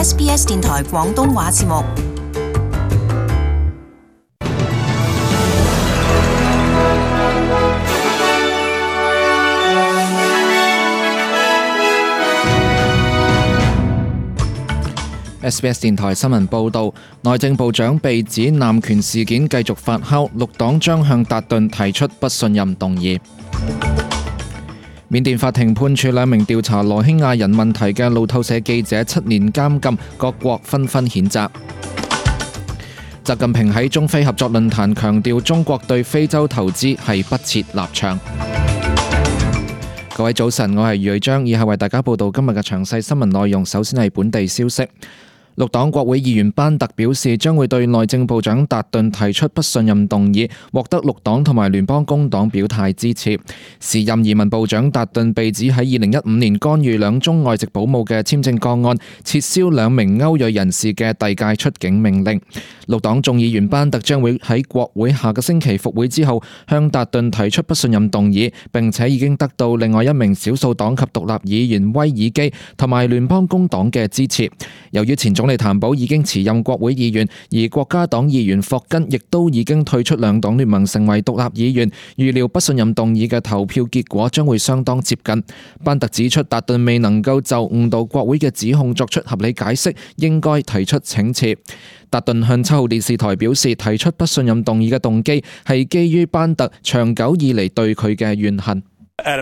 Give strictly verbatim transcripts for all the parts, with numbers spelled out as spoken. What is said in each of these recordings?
S B S 電台廣東話節目。S B S 電台新聞報導，內政部長被指濫權事件繼續發酵，綠黨將向達頓提出不信任動議。緬甸法庭判處兩名調查羅興亞人問題嘅路透社記者七年監禁，各國紛紛譴責。習近平喺中非合作論壇強調，中國對非洲投資係不設立場。各位早晨，我係余瑞章，以下為大家報道今日嘅詳細新聞內容。首先係本地消息。綠黨國會議員班特表示，將會對內政部長達頓提出不信任動議，獲得綠黨同埋聯邦工黨表態支持。時任移民部長達頓被指喺二零一五年干預兩宗外籍保姆嘅簽證個案，撤銷兩名歐裔人士嘅遞解出境命令。綠黨眾議員班特將會喺國會下個星期復會之後，向達頓提出不信任動議，並且已經得到另外一名少數黨及獨立議員威爾基同埋聯邦工黨嘅支持。由於前總理譚寶已經辭任國會議員，而國家黨議員霍根亦都已經退出兩黨聯盟成為獨立議員，預料不信任動議嘅投票結果將會相當接近。班特指出，達頓未能夠就誤導國會嘅指控作出合理解釋，應該提出請辭。達頓向七號電視台表示，提出不信任動議嘅動機係基於班特長久以嚟對佢嘅怨恨。達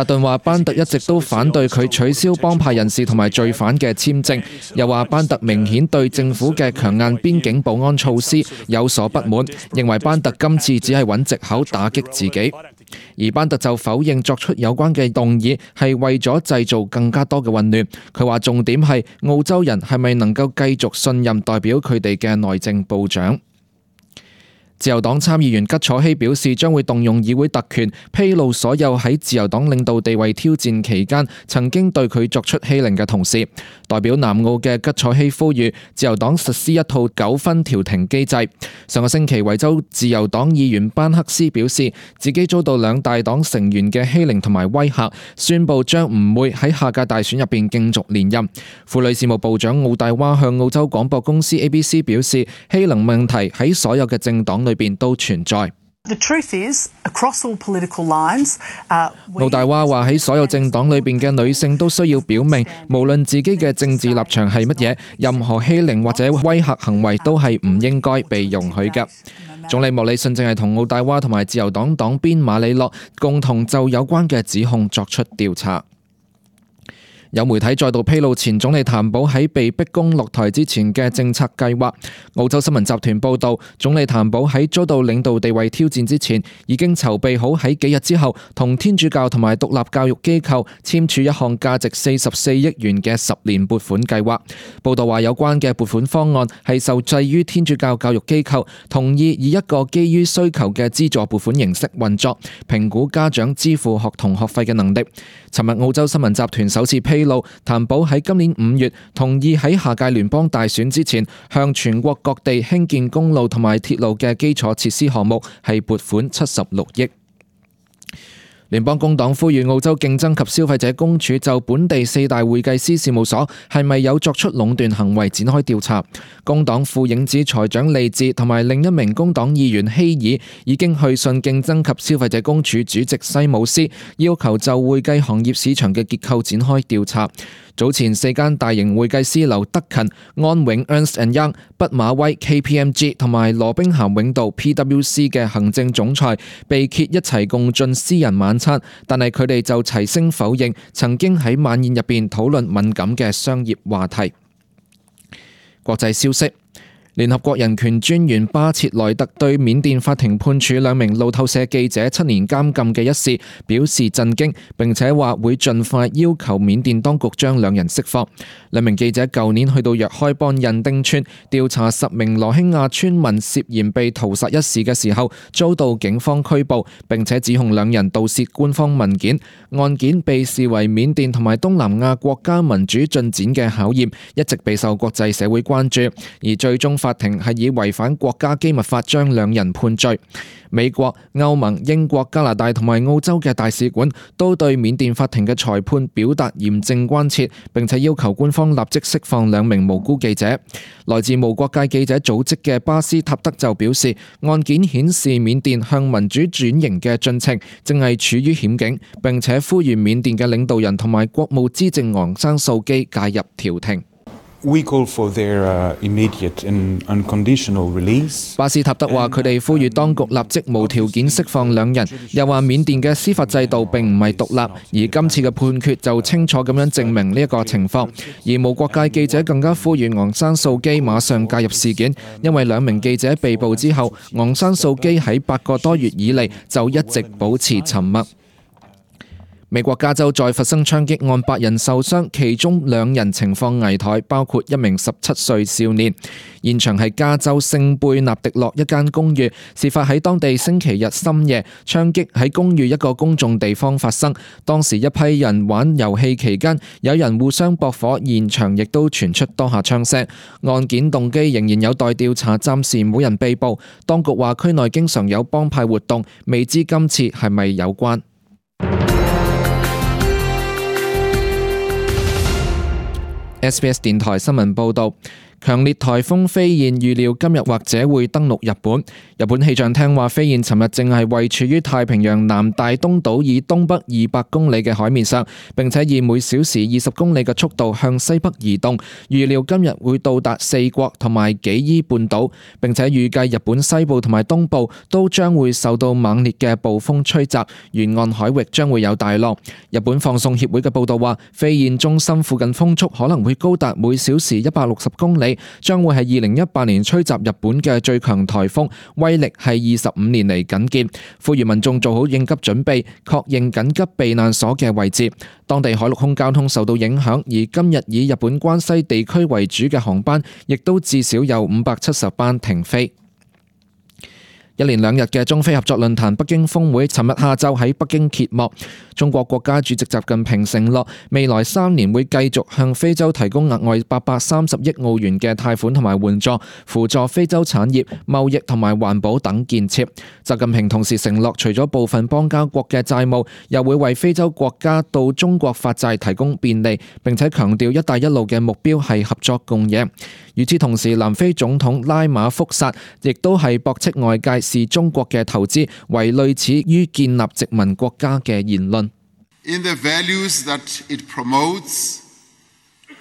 頓話班特一直都反對佢取消幫派人士同埋罪犯嘅簽證，又話班特明顯對政府嘅強硬邊境保安措施有所不滿，認為班特今次只係揾藉口打擊自己。而班特就否認作出有關嘅動議係為咗製造更加多嘅混亂。佢話重點係澳洲人係咪能夠繼續信任代表佢哋嘅內政部長。自由黨參議員吉楚希表示，將會動用議會特權，披露所有喺自由黨領導地位挑戰期間曾經對佢作出欺凌嘅同事。代表南澳嘅吉楚希呼籲自由黨實施一套糾紛調停機制。上個星期，維州自由黨議員班克斯表示，自己遭到兩大黨成員嘅欺凌同埋威嚇，宣布將唔會喺下屆大選入邊競逐連任。婦女事務部長奧大娃向澳洲廣播公司 A B C 表示，欺凌問題喺所有嘅政黨裏邊都存在。奧大娃話喺所有政黨裏邊嘅女性都需要表明，無論自己嘅政治立場係乜嘢，任何欺凌或者威嚇行為都係唔應該被容許嘅。總理莫里遜正係同奧大娃同埋自由黨黨鞭馬里諾共同就有關嘅指控作出調查。有媒體再度披露前總理譚寶喺被逼宮落台之前嘅政策計劃。澳洲新聞集團報道，總理譚寶喺遭到領導地位挑戰之前，已經籌備好喺幾日之後同天主教同埋獨立教育機構簽署一項價值四十四億元嘅十年撥款計劃。報道話，有關嘅撥款方案係受制於天主教教育機構同意以一個基於需求嘅資助撥款形式運作，評估家長支付學童學費嘅能力。尋日澳洲新聞集團首次披露，譚寶喺今年五月同意喺下屆聯邦大選之前，向全國各地興建公路同埋鐵路嘅基礎設施項目係撥款七十六億。聯邦工黨呼籲澳洲競爭及消費者公署就本地四大會計師事務所係咪有作出壟斷行為展開調查。工黨副影子財長利智同埋另一名工黨議員希爾已經去信競爭及消費者公署主席西姆斯，要求就會計行業市場嘅結構展開調查。早前四間大型會計師樓德勤、安永 Ernst and Young、畢馬威 K P M G 同埋羅兵咸永道 P W C 嘅行政總裁被揭一齊共進私人晚餐，但係佢哋就齊聲否認曾經喺晚宴入邊討論敏感嘅商業話題。國際消息。聯合國人權專員巴切萊特對緬甸法庭判處兩名路透社記者七年監禁嘅一事表示震驚，並且話會盡快要求緬甸當局將兩人釋放。兩名記者舊年去到若開邦印丁村調查十名羅興亞村民涉嫌被屠殺一事嘅時候，遭到警方拘捕，並且指控兩人盜竊官方文件。案件被視為緬甸同埋東南亞國家民主進展嘅考驗，一直備受國際社會關注，而最終法庭係以違反國家機密法將兩人判罪。美國、歐盟、英國、加拿大同埋澳洲嘅大使館都對緬甸法庭嘅裁判表達嚴正關切，並且要求官方立即釋放兩名無辜記者。來自無國界記者組織嘅巴斯塔德就表示，案件顯示緬甸向民主轉型嘅進程正係處於險境，並且呼籲緬甸嘅領導人同埋國務資政昂山素基介入調停。We call for their, uh, immediate and unconditional release. 巴斯塔德話：佢哋呼籲當局立即無條件釋放兩人，又話緬甸嘅司法制度並唔係獨立，而今次嘅判決就清楚咁樣證明呢一個情況。而無國界記者更加呼籲昂山素基馬上介入事件，因為兩名記者被捕之後，昂山素基喺八個多月以嚟就一直保持沉默。美國加州再發生槍擊案，八人受傷，其中兩人情況危殆，包括一名十七歲少年。現場係加州聖貝納迪諾一間公寓，事發喺當地星期日深夜，槍擊喺公寓一個公眾地方發生。當時一批人玩遊戲期間，有人互相駁火，現場亦都傳出多下槍聲。案件動機仍然有待調查，暫時冇人被捕。當局話區內經常有幫派活動，未知今次係咪有關。S B S 電台新聞報導，強烈颱風飛燕預料今日或者會登陸日本。日本氣象廳話，飛燕尋日正係位處於太平洋南大東島以東北二百公里嘅海面上，並且以每小時二十公里嘅速度向西北移動。預料今日會到達四國同埋紀伊半島，並且預計日本西部同埋東部都將會受到猛烈嘅暴風吹襲，沿岸海域將會有大浪。日本放送協會嘅報導話，飛燕中心附近風速可能會高達每小時一百六十公里，將會係二零一八年吹襲日本嘅最強颱風，威力係二十五年嚟僅見。呼籲民眾做好應急準備，確認緊急避難所嘅位置。當地海陸空交通受到影響，而今日以日本關西地區為主嘅航班，亦都至少有五百七十班停飛。一連兩日嘅中非合作論壇北京峰會，尋日下晝喺北京揭幕。中國國家主席習近平承諾，未來三年會繼續向非洲提供額外八百三十億澳元嘅貸款同埋援助，輔助非洲產業、貿易同埋環保等建設。習近平同時承諾，除咗部分邦交國嘅債務，又會為非洲國家到中國發債提供便利，並且強調一帶一路嘅目標係合作共贏。與此同時，南非總統拉馬福薩亦都係駁斥外界視中國嘅投資為類似於建立殖民國家嘅言論。In the values that it promotes,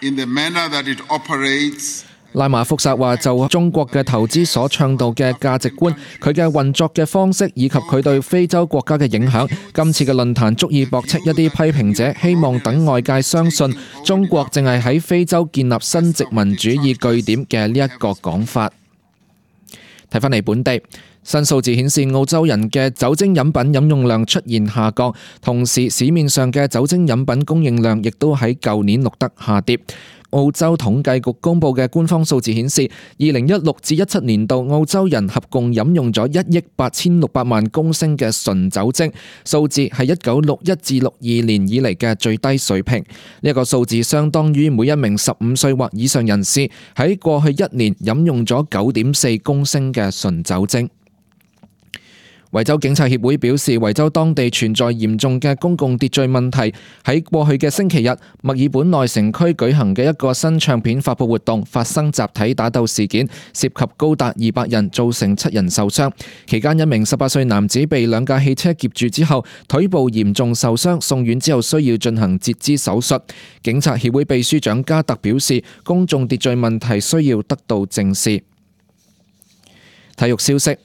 in the manner that it operates, 拉馬福薩話就中國嘅投資所倡導嘅價值觀、佢嘅運作嘅方式以及佢對非洲國家嘅影響，今次嘅論壇足以駁斥一啲批評者希望等外界相信中國淨係喺非洲建立新殖民主義據點嘅呢一個講法。睇返嚟本地，新數字顯示澳洲人嘅酒精飲品飲用量出現下降，同時市面上嘅酒精飲品供應量亦都喺舊年錄得下跌。澳洲統計局公布嘅官方數字顯示，二零一六至一七年度澳洲人合共飲用咗一億八千六百萬公升嘅純酒精，數字係一九六一至六二年以嚟嘅最低水平。呢一個數字相當於每一名十五歲或以上人士喺過去一年飲用咗九點四公升嘅純酒精。維州警察協會表示，維州當地存在嚴重嘅公共秩序問題。喺過去嘅星期日，墨爾本內城區舉行嘅一個新唱片發佈活動發生集體打鬥事件，涉及高達二百人，造成七人受傷。期間，一名十八歲男子被兩架汽車劫住之後，腿部嚴重受傷，送院之後需要進行截肢手術。警察協會秘書長加特表示，公眾秩序問題需要得到正視。體育消息。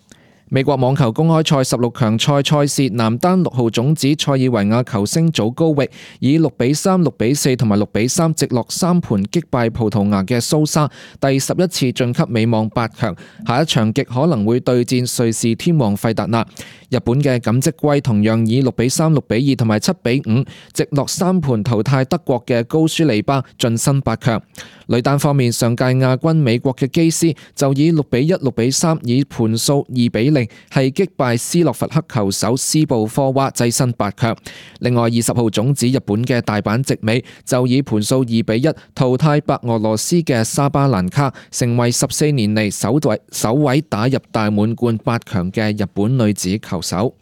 美國網球公開賽十六強賽賽事，男單六號種子塞爾維亞球星祖高域以六比三、六比四同埋六比三直落三盤擊敗葡萄牙嘅蘇莎，第十一次晉級美網八強。下一場極可能會對戰瑞士天王費達拿。日本嘅錦織圭同樣以六比三、六比二同埋七比五直落三盤淘汰德國嘅高舒利巴，晉身八強。女單方面，上屆亞軍美國嘅基斯就以六比一、六比三以盤數二比零係擊敗斯洛伐克球手斯布科娃，躋身八強。另外，二十號種子日本嘅大阪直美就以盤數二比一淘汰白俄羅斯嘅沙巴蘭卡，成為十四年嚟首位首位打入大滿貫八強嘅日本女子球手。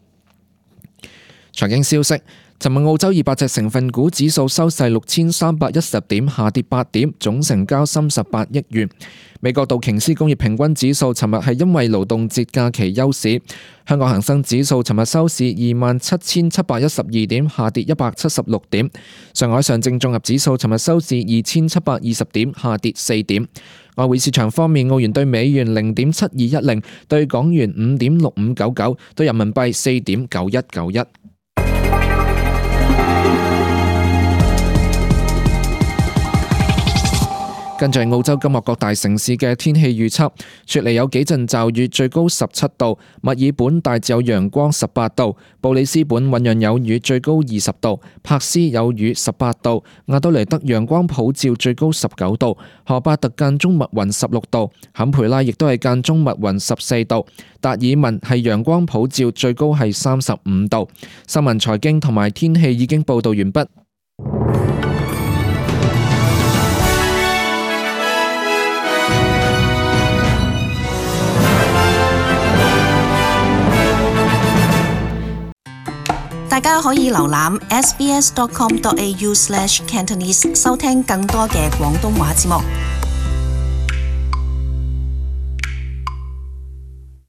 財經消息。尋日澳洲二百隻成分股指數收市六千三百一十點，下跌八點，總成交三十八億元。美國道瓊斯工業平均指數尋日係因為勞動節假期休市。香港恒生指數尋日收市二萬七千七百一十二點，下跌一百七十六點。上海上證綜合指數尋日收市二千七百二十點，下跌四點。外匯市場方面，澳元對美元零點七二一零，對港元五點六五九九，對人民幣四點九一九一。跟住澳洲今日各大城市嘅天氣預測，雪梨有幾陣驟雨，最高十七度；墨爾本大致有陽光，十八度；布里斯本醞釀有雨，最高二十度；柏斯有雨，十八度；亞德雷德陽光普照，最高十九度；荷巴特間中密雲，十六度；坎培拉亦都係間中密雲，十四度；達爾文係陽光普照，最高係三十五度。新聞財經同埋天氣已經報道完畢。大家可以瀏覽 s b s dot com dot a u slash cantonese 收聽更多嘅廣東話節目。